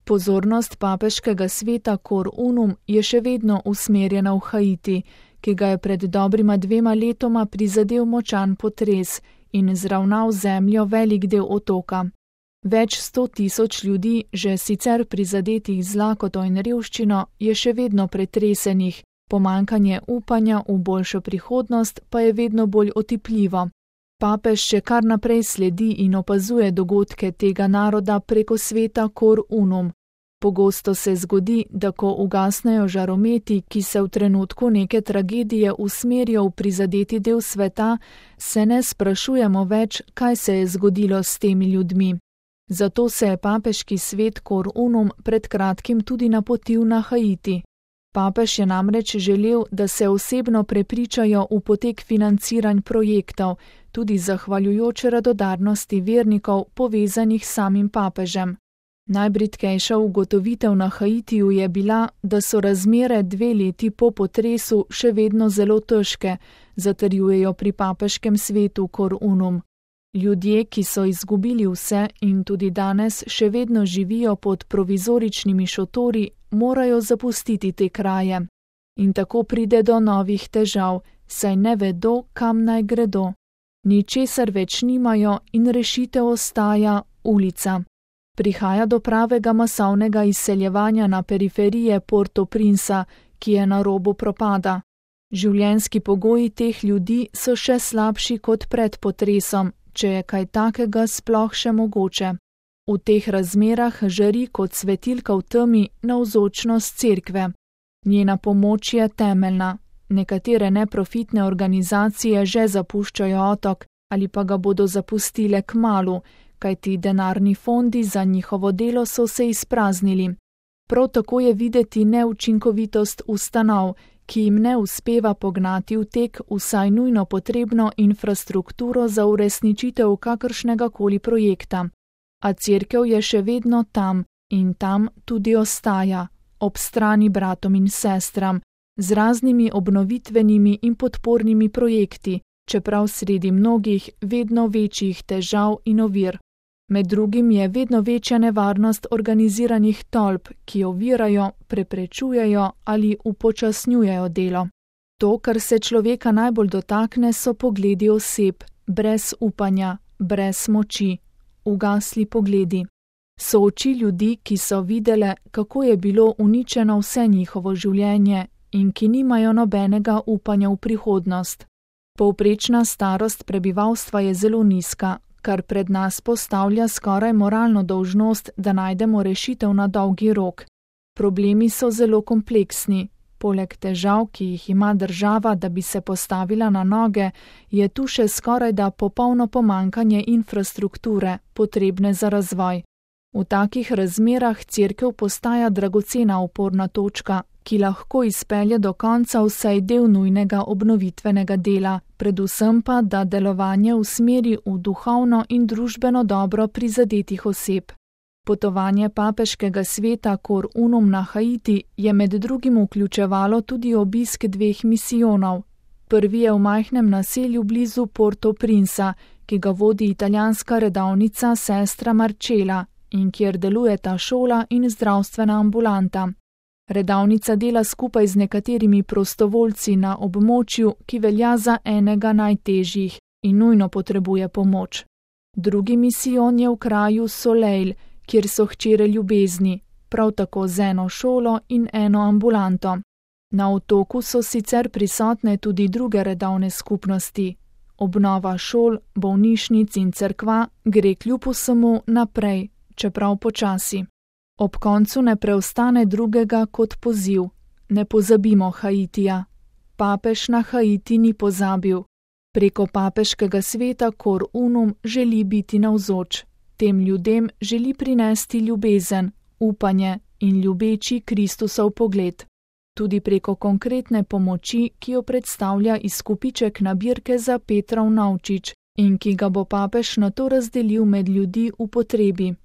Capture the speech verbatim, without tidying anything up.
Pozornost papeškega sveta Cor Unum je še vedno usmerjena v Haiti, ki ga je pred dobrima dvema letoma prizadel močan potres in zravnal zemljo velik del otoka. Več sto tisoč ljudi, že sicer prizadetih z lakoto in revščino, je še vedno pretresenih, pomanjkanje upanja v boljšo prihodnost pa je vedno bolj otipljivo. Papež še kar naprej sledi in opazuje dogodke tega naroda preko sveta Cor Unum. Pogosto se zgodi, da ko ugasnejo žarometi, ki se v trenutku neke tragedije usmerijo v prizadeti del sveta, se ne sprašujemo več, kaj se je zgodilo s temi ljudmi. Zato se je papeški svet Cor Unum pred kratkim tudi napotil na Haiti. Papež je namreč želel, da se osebno prepričajo v potek financiranj projektov, tudi zahvaljujoč radodarnosti vernikov povezanih s samim papežem. Najbridkejša ugotovitev na Haitiju je bila, da so razmere dve leti po potresu še vedno zelo težke, zatrjujejo pri papeškem svetu Cor Unum. Ljudje, ki so izgubili vse in tudi danes še vedno živijo pod provizoričnimi šotori, morajo zapustiti te kraje. In tako pride do novih težav, saj ne vedo, kam naj gredo. Ničesar več nimajo in rešitev ostaja ulica. Prihaja do pravega masovnega izseljevanja na periferije Port-au-Princa, ki je na robu propada. Življenjski pogoji teh ljudi so še slabši kot pred potresom, če je kaj takega sploh še mogoče. V teh razmerah žari kot svetilka v temi navzočnost cerkve. Njena pomoč je temeljna. Nekatere neprofitne organizacije že zapuščajo otok ali pa ga bodo zapustile kmalu, kajti denarni fondi za njihovo delo so se izpraznili. Prav tako je videti neučinkovitost ustanov, ki jim ne uspeva pognati v tek vsaj nujno potrebno infrastrukturo za uresničitev kakršnega koli projekta. A cerkev je še vedno tam in tam tudi ostaja, ob strani bratom in sestram, z raznimi obnovitvenimi in podpornimi projekti, čeprav sredi mnogih vedno večjih težav in ovir. Med drugim je vedno večja nevarnost organiziranih tolp, ki ovirajo, preprečujejo ali upočasnjujejo delo. To, kar se človeka najbolj dotakne, so pogledi oseb, brez upanja, brez moči, ugasli pogledi. So oči ljudi, ki so videle, kako je bilo uničeno vse njihovo življenje in ki nimajo nobenega upanja v prihodnost. Povprečna starost prebivalstva je zelo nizka, kar pred nas postavlja skoraj moralno dolžnost, da najdemo rešitev na dolgi rok. Problemi so zelo kompleksni. Poleg težav, ki jih ima država, da bi se postavila na noge, je tu še skorajda popolno pomanjkanje infrastrukture, potrebne za razvoj. V takih razmerah cerkev postaja dragocena oporna točka, ki lahko izpelje do konca vsaj del nujnega obnovitvenega dela, predvsem pa, da delovanje usmeri v duhovno in družbeno dobro prizadetih oseb. Potovanje papeškega sveta Cor Unum na Haiti je med drugim vključevalo tudi obisk dveh misijonov. Prvi je v majhnem naselju blizu Port-au-Princa, ki ga vodi italijanska redovnica sestra Marcela in kjer delujeta šola in zdravstvena ambulanta. Redovnica dela skupaj z nekaterimi prostovoljci na območju, ki velja za enega najtežjih in nujno potrebuje pomoč. Drugi misijon je v kraju Soleil, kjer so hčere ljubezni, prav tako z eno šolo in eno ambulanto. Na otoku so sicer prisotne tudi druge redovne skupnosti. Obnova šol, bolnišnic in cerkva gre kljub vsemu naprej, čeprav počasi. Ob koncu ne preostane drugega kot poziv. Ne pozabimo Haitija. Papež na Haiti ni pozabil. Preko papeškega sveta Cor Unum želi biti navzoč. Tem ljudem želi prinesti ljubezen, upanje in ljubeči Kristusov pogled. Tudi preko konkretne pomoči, ki jo predstavlja izkupiček nabirke za Petrov novčič in ki ga bo papež nato razdelil med ljudi v potrebi.